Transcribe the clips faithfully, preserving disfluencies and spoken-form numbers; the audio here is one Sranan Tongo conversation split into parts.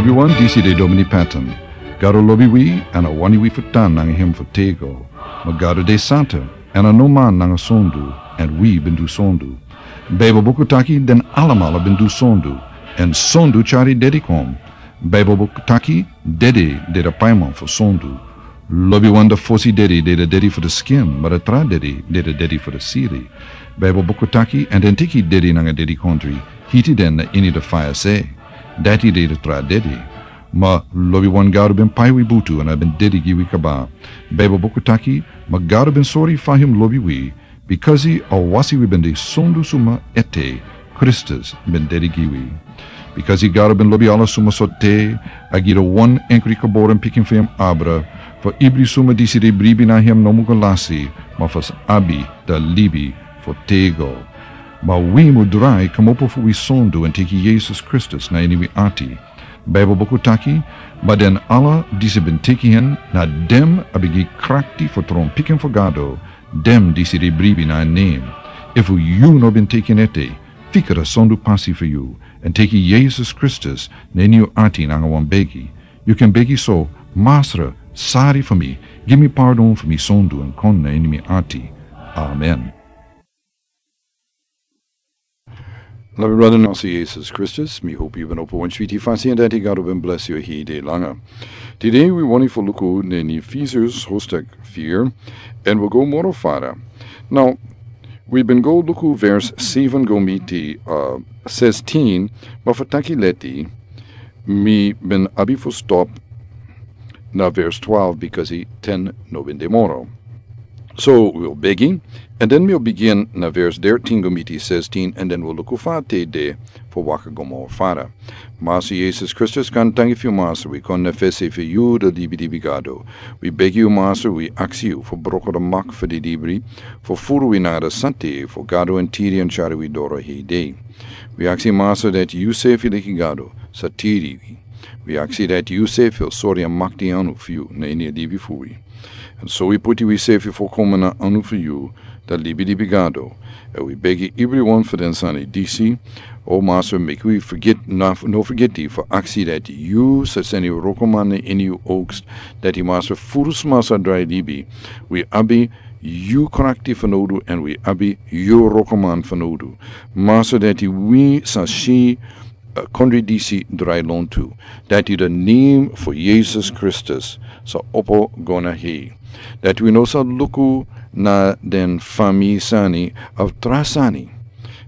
Wi wan disi de Domini Patton. Gado lobi wi, èn a wani wi fu tan nanga hem fu tego. Ma Gado de santa, èn a no man nanga sondu, èn wi ben du sondu. Baibel buku taki den alamala ben du sondu, èn sondu tyari dedi kon. Baibel buku taki dedi de da paiman fu sondu. Lobi wan da fosi dedi de da dedi fu da skin, ma da tra dedi de da dedi fu da siri. Baibel buku taki, èn den teki dedi nanga dedi kondri, hiti den na ini da faya se. Dati de da tra dedi. Ma lobi wan Gado ben pai wi butu èn a ben dedi gi wi kaba. Baibel buku taki, ma Gado ben sori fa hem lobi wi, bikasi a wasi wi ben de sondu suma ete, Kristus ben dedi gi wi. Bikasi Gado ben lobi ala suma so te, a gi da wan enkri geboren pikin fu hem abra, fu ibri suma disi de bribi na hem no mu go lasi, ma fu sa abi da libi fu tego. Ma wi mu drai komopo fu wi sondu èn teki Yesus Kristus na ini wi ati. Baibel buku taki, ma den ala disi ben teki hen, na den a ben gi krakti fu tron pikin fu Gado, den disi de bribi na en nen. Efu yu no ben teki en ete, fika da sondu pasi fu yu, èn teki Yesus Kristus na ini yu ati nanga wan begi. Yu kan begi so, Masra, sari fu mi, gi mi pardon fu mi sondu èn kon na ini mi ati. Amen. Lobi brada, na Yesus Kristus, mi hopi yu ben opo wan switi fasi èn dati Gado ben blesi yu hede langa. Tide wi wani fu luku na ini Efesians hoofdstuk vier, èn wi go moro fara. Now, wi ben go luku vers seven go miti, uh, sixteen, ma fu taki leti, mi ben abi fu stop na vers twelve, bikasi ten no ben de moro. So, wi o begi, èn den mi o bigin na vers dertien go miti sixteen, èn den wi o luku fa a de fu waka go moro fara. Masra Yesus Kristus, gaantangi fu yu Masra, wi kon na fesi fu yu da libi libi Gado. Wi begi yu Masra, wi aksi yu fu broko da mak fu di libri, fu furu wi nanga da sante fu Gado èn tiri èn tyari wi doro hede. Wi aksi Masra dati yu sefi leki Gado sa tiri wi. Wi aksi dati yu sefi o sori èn makti anu fu yu na ini a libi fu wi. Èn so wi puti wi sefi fu komo na anu fu yu, da libi libi Gado. Èn wi begi ibri wan fu den sani disi, o Masra, meki wi fugeti, no, no fugeti fu aksi dati yu sa seni wrokoman na ini yu oogst, dati Masra, furu sma sa drai libi, wi abi yu krakti fanowdu èn wi abi yu wrokoman fanowdu. Masra, dati wi sa si, eh, kondre disi drai lontu, dati da nen fu Yesus Kristus sa opo go na hei. Dati wi no sa luku na den fami sani of tra sani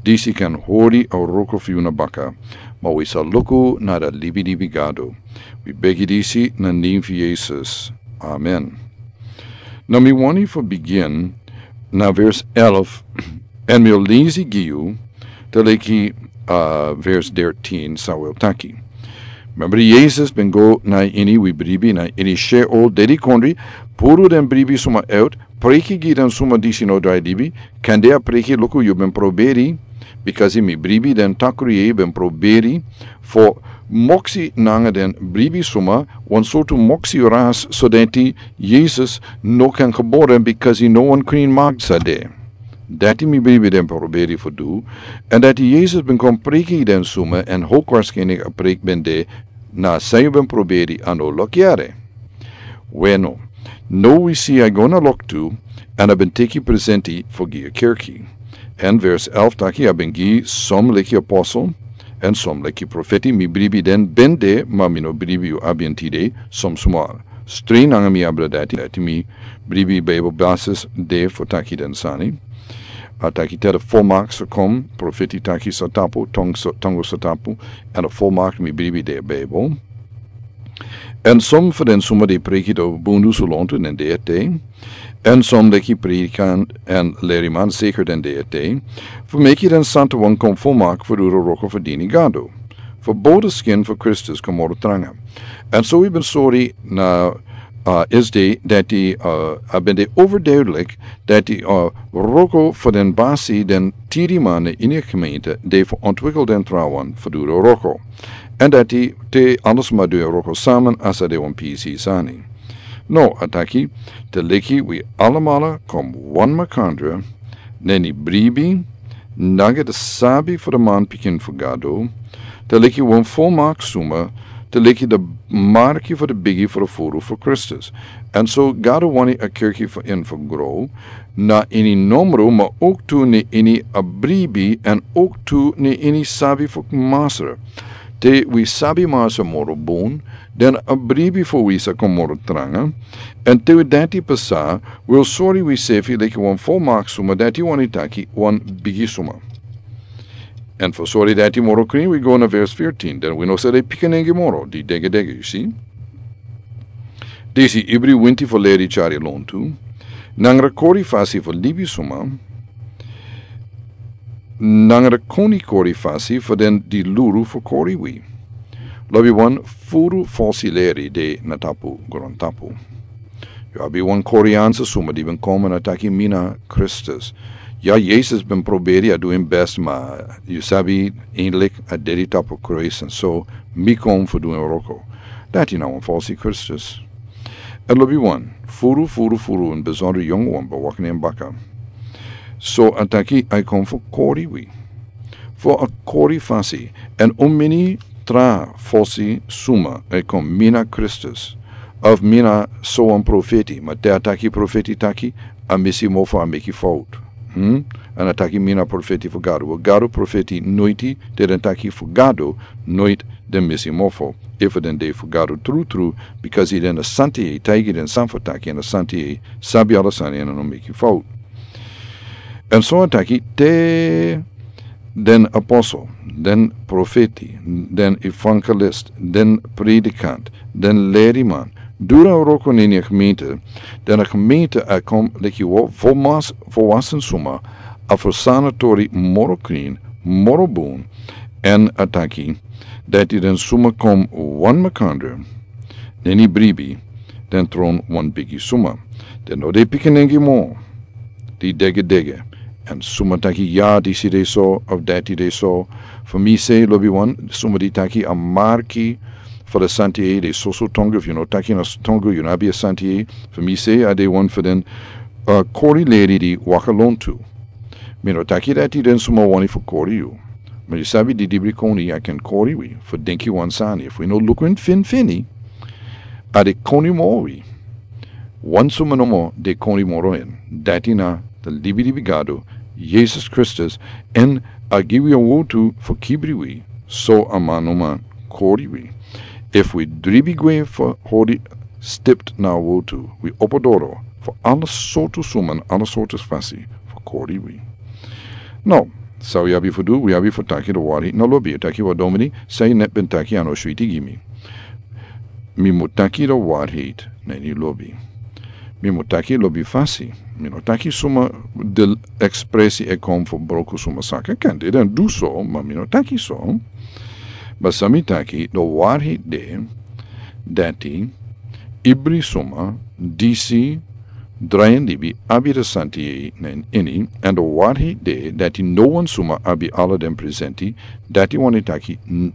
disi kan hori a wroko fu yu na baka, ma wi sa luku na da libi libi Gado. Wi begi disi na nen fu Yesus. Amen. Now mi wani fu bigin na vers elf, èn mi o lesi gi yu te leki, uh, vers dertien san wi o taki. Member, Yesus ben go na ini, wi bribi, na ini Sheol, dedi kondre, puru den bribi suma out, preki gi den suma disi no drai libi, kande a preki, luku, yu ben proberi, bikasi mi bribi den takru yeye ben proberi fu moksi nanga den bribi suma, wan sortu moksi ras, so dati Yesus no kan geboren, bikasi no wan krin mak sa de. Dati mi bribi den proberi fu du, èn dati Yesus ben kon preki den suma, èn hoogstwaarschijnlijk a preki ben de na san yu ben proberi a no luku yere. Weno, now wi si a go na loktu, èn a ben teki presenti fu gi a kerki. Èn vers elf taki a ben gi som leki apostel, èn som leki profeti, mi bribi den ben de, ma mi no bribi yu abi en tide, som suma stren nanga mi abra dati, dati mi bribi Bijbel basis de fu taki den sani. A taki te da volmaakt sa kon, profeti taki sa tapu, tong sa, tongo sa tapu, èn a volmaakt mi bribi de Bijbel. Èn som fu den suma di preki da bundu su lontu na den dei ete. Èn som leki predikant èn leriman seker den dei ete. Fu meki den santa wan kon volmaakt fu du da wroko fu dini Gado. Fu bowda skin fu Kristus kon moro tranga. Èn so wi ben sori na, uh, esde dati, uh, a ben de overduidelijk dati, uh, wroko fu den basi den tiriman na ini a gemeente de fu ontwikkel den trawan fu du da wroko. Èn dati te ala sma du a wroko samen a sa de wan pisi sani. Now, a taki, te leki wi alamala kon wan makandra, na ini bribi, nanga da sabi fu da manpikin fu Gado, te leki wan volmaakt suma, te leki de marki fu de bigi fu de furu fu Kristus. En so Gado wani a kerki fu en fu gro, na ini nomro ma ook tu ni ini a bribi en ook tu ni ini sabi fu masra. Te wi sabi masra moro bun, den a bribi fu wi sa kon moro tranga, en te wi dati pasa, wi o sori wi sefi leki wan volmak suma dati wani taki wan bigi suma. En fu sori dati moro krin wi go na vers veertien, den wi no sa de pikinenge moro, di dege dege, yu si. Disi ibri winti fu leri chari lontu, nangra kori fasi fu libi suma, nangra koni kori fasi fu den di luru fu kori wi. Lobi wan furu falsi leri de na tapu grontapu. Yu abi wan Koreanse suma di ben kon na taki mi na Kristus. Ya, Yesus ben proberi a du en best, ma yu sabi, eindelijk a dedi tapu kruis, en so mi kon fu du en wroko. Dati na wan falsi Kristus. En lobi wan, furu, furu, furu, en besonder yong wan ben wak na en baka. So a taki a kon fu kori wi. Fu a kori fasi, en un mini tra fosi suma e kon mi na Kristus, of mi na so wan profeti, ma te a taki profeti taki, a misi mofo, a meki fout. Hmm? En a taki mi na profeti fu Gado. Wel, Gado profeti noiti, te den taki fu Gado, noit den misi mofo. Efu den de fu Gado tru tru, because i den a santi e taigi den san fu taki, en a santi e sabi ala sani, en a no meki fout. En so a taki te den apostel, den profeti, den evangelist, den predikant, den leriman, dura wroko na ini a gemeente, den a gemeente a kon leki wo-, volmas-, volwassen suma, a ferstan a tori moro krin, moro bun, en a taki, dati den suma kon wan makandra, na ini bribi, den tron wan bigi suma. Den no de pikinenge mo, di dege dege. En suma taki ya, disi de so, of dati de so. Fu mi sei, lobi wan, suma di taki a marki fu de santi e, de soso tongo, fu yu no taki na s-, tongo, yu no abi a santi e. Fu mi sei, a de wan fu den, uh, kori leri di waka lontu. Mi no taki dati den suma wani fu kori yu. Ma yu sabi di dibri koni a ken kori wi, fu denki wan sani. Fu yu no luku en finfini, a de koni moro wi. Wan suma nomo de koni moro en. Dati na de libi libi Gado, Yesus Kristus, en a gi wi a wotu fu kibri wi, so a man no man kori wi. Efu wi dribi gwe fu hori stipt na a wotu, wi opo doro fu ala sortu suma, ala sortu fasi fu kori wi. No, san wi abi fu du, wi abi fu taki de wari na lobi. Yu taki: "Wel, Domini, san yu net ben taki a no switi gi mi." Mi mu taki de waarheid na ini lobi. Mi mu taki lobi fasi. Mi no taki suma de ekspresi e kon fu broko suma saka. Ken de den du so, ma mi no taki so. Ma san mi taki, de waarheid de, dati ibri suma disi drai en libi abi de santi e na en ini, en de waarheid de, dati no wan suma abi ala den presenti, dati wani taki, n-,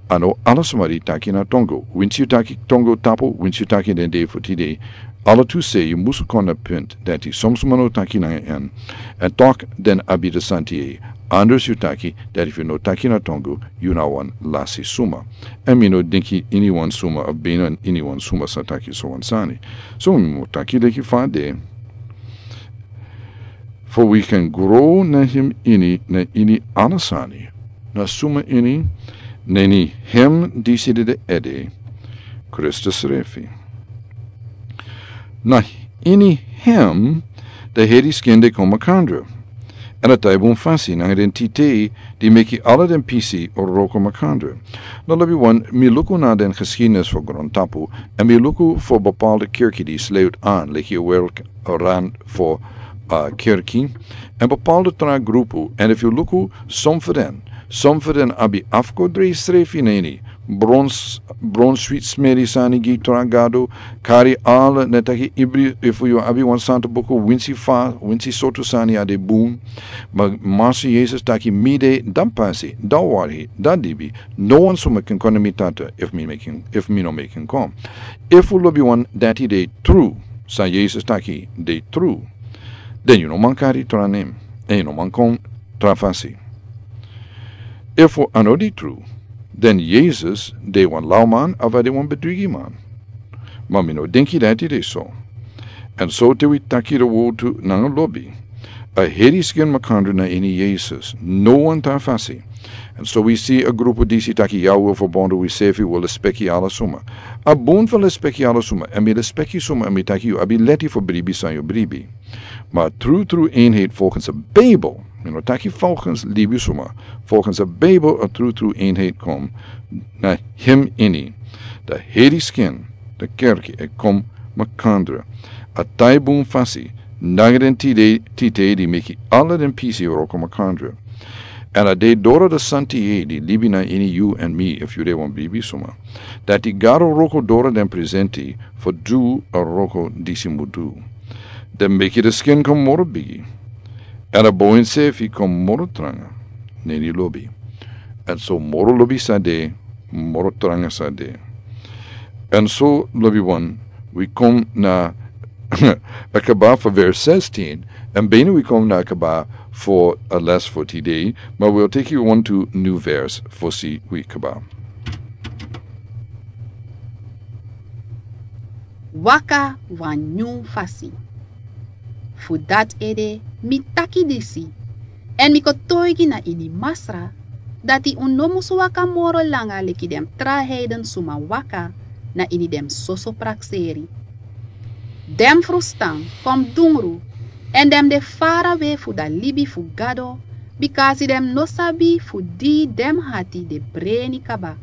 a no ala suma di taki na tongo. Winsi yu taki tongo tapu, winsi yu taki den dei fu tide, ala tu sei yu musu kon na punt, dati son suma no taki na en. En toch den abi de santi e. Anders yu taki, dati fu no taki na tongo, yu na wan lasi suma. En mi no denki iniwan suma, of bina iniwan suma sa taki so wan sani. So mi mu taki leki fa de. Fu wi kan gro na hem ini, na ini ala sani. Na suma ini, na ini hem disi de ede, Kristus srefi. Na ini hem, de heri skin de kon makandra. En a taibun fasi, nanga den tite, di meki ala den pisi wroko makandra. No lobi wan, mi luku na den geschiedenis fu grontapu, en mi luku fu bepaalde kerki di sluit aan, leki werk rand fu, uh, kerki, en bepaalde tra grupu, en efu yu luku, son fu den, son fu den abi afkodri srefi na ini, brons-, bronswit smeri sani gi tra gado, kari ala, ne taki ibri, efu yu abi wan santa buku, winsi fa, winsi sortu sani a de bun, ma Masra Yesus taki mi de, dan pasi, dan wari, dan dibi, no wan suma kan kon na mi Tata, efu mi meki en, efu mi no meki en kon. Efu lobi wan dati de tru, san Yesus taki de tru, den yu no man kari tra nen, en yu no man kon tra fasi. Efu a no de tru, Den Yesus de wan lawman of a de wan bedrigiman? Ma mi no denki dati de so. Èn so te wi taki de wowtu nanga lobi, a heri skin makandra na ini Yesus, no wan tra fasi. Èn so wi si a grupu disi taki ya wi o fabondu wi sefi wi o lespeki ala suma. A bun fu lespeki ala suma, èn mi lespeki suma èn mi taki yu abi leti fu bribi san yu bribi. Ma a trutru enheit folgens a Bijbel, mi no taki folgens libi suma, folgens a Bijbel a trutru enheit kom na hem ini. Da heri skin, da kerki e kom makandra. A tai bun fasi, nanga den tide tite di meki ala den pisi wroko makandra. Èn a de doro da santi e di libi na ini yu èn mi efu yu de wan bribi suma. Dati Gado wroko doro den presenti fu du a wroko disi mu du. Den meki da skin kon moro bigi. Èn a boin sefi kon moro tranga. Neni lobi. Èn so moro lobi sa de, moro tranga sa de. Èn so lobi wan, wi kon na a kaba fu vers sestin, èn bini wi kon na a kaba fu a les fu tide, ma wi o teki wan tu niw vers fosi wi kaba. Waka wan nyun fasi. Fu dati ede mi taki disi, èn mi kotoigi na ini Masra, dati un no musu waka moro langa leki den tra heiden suma waka na ini den soso prakseri. Den frustan kon dungru, èn den de farawe fu da libi fu Gado, bikasi den no sabi fu di den hati de breni kaba.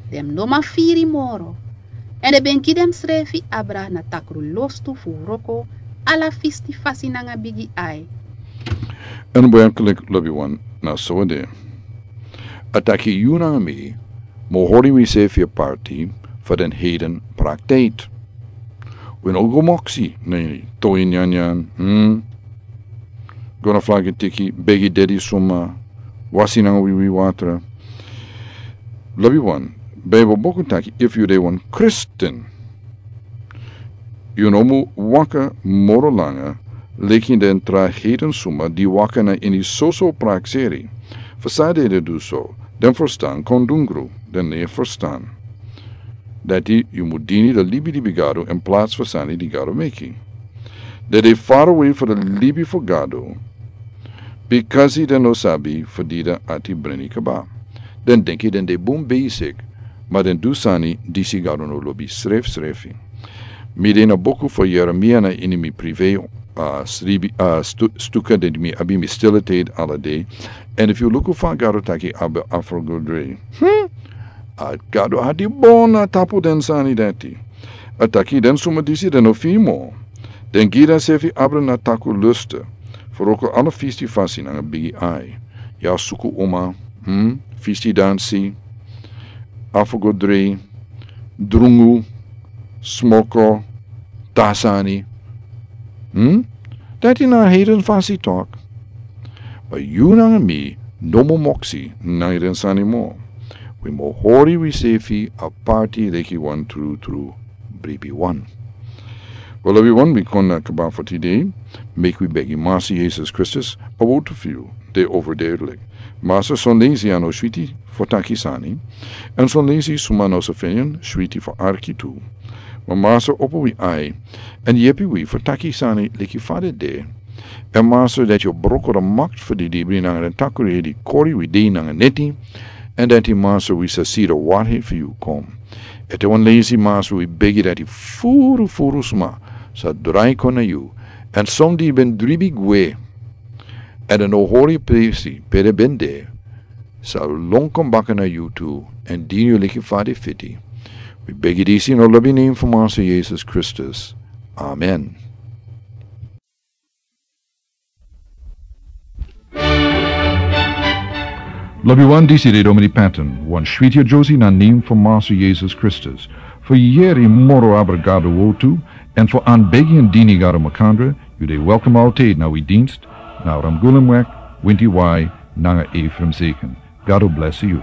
Den no man firi moro, èn den ben gi densrefi abra na takru lostu fu wroko ala fisti fasi nanga bigi ai. Èn werklik lobi wan, na so a de. A taki yu nanga mi mu hori wi sefi aparti fu den heiden praktijki. Wi no go moksi na ini toin nyanyan, hmm? Go na flagi tiki, begi dedi suma, wasi nanga wiwi watra. Lobi wan, Bijbel boku taki efu yu de wan Kristin, yu no mu waka moro langa leki den tra heiden suma di waka na ini soso prakseri. Fu san den du so, den frustan kon dungru, den no e frustan. Dati yu mu dini da libi di Gado in plats fu sani di Gado meki. Den de farawe fu da libi fu Gado, bikasi den no sabi fu di da ati breni kaba. Den denki den de bun besik, ma den du sani disi Gado no lobi srefsrefi. Mi de na boku fu Yeremia na ini mi prive, a sribi, a stu-, stuka den mi abi mi stille tijd ala dei. Èn efu yu luku fa Gado taki abi afrogodri. Hmm? A Gado ati bon na tapu den sani dati. A taki den suma disi den no fimo. Den gi densefi abra na takru lusta. Fu wroko ala fisti fasi nanga bigi ai. Ya suku uma, hmm? Fisti dansi, afrogodri, drungu, smoko, tra sani. Hmm? Dati na heiden fasi tok. Ma yu nanga mi no mu moksi nanga den sani mo. Wi mu hori wi sefi aparti leki wan trutru bribi wan. Wel, lobi wan, wi kon na kaba fu tide. Meki wi begi Masa Yesus Kristus a wowtu fu yu de overduidelijk. Masa, son leisi a no switi fu taki sani, èn son leisi suma no sa feni en switi fu arki tu. Ma Masa, opo wi ai èn yepi wi fu taki sani leki fa den de. Èn Masa, dati yu o broko da makti fu di dibri nanga den takru di kori wi dei nanga neti. Èn dati Masa, wi sa si da wari fu yu kon. Ete wan leisi Masa, wi begi dati furu furu suma sa drai kon na yu. Èn son di ben dribi gwe, èn den no hori presi pe den ben de, sa lon kon baka na yu tu, èn dini yu leki fa den fiti. Wi begi disi na lobi nen fu Masa Yesus Kristus. Amen. Lobi wan, disi de Domini Patton, wan switi a Josie na nen fu Masa Yesus Kristus. Fu yeri moro abra Gado wowtu, èn fu anbegi èn dini Gado makandra, yu de welkom altijd na wi dienst, na Ramgulemwek, Winti Wai, nanga Ephraim Zeken. Gado blesi yu.